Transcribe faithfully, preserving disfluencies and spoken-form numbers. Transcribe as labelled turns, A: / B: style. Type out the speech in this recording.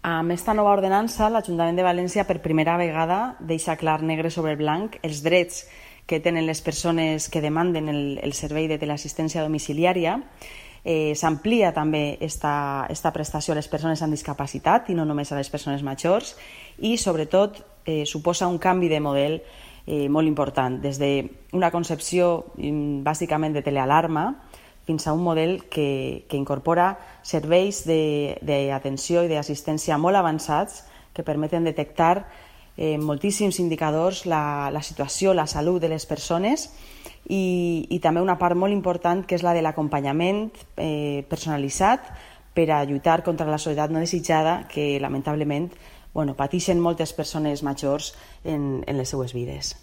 A: Amb esta nova ordenança, l'Ajuntament de València per primera vegada deixa clar negre sobre blanc els drets que tenen les persones que demanden el, el servei de teleassistència domiciliària. Eh, S'amplia també esta, esta prestació a les persones amb discapacitat i no només a les persones majors, i sobretot eh, suposa un canvi de model eh, molt important, des d'una concepció mm, bàsicament de telealarma fins a un model que, que incorpora serveis d'atenció i d'assistència molt avançats que permeten detectar eh, moltíssims indicadors, la, la situació, la salut de les persones, i, i també una part molt important que és la de l'acompanyament eh, personalitzat per a lluitar contra la soledat no desitjada que lamentablement bueno, pateixen moltes persones majors en, en les seues vides.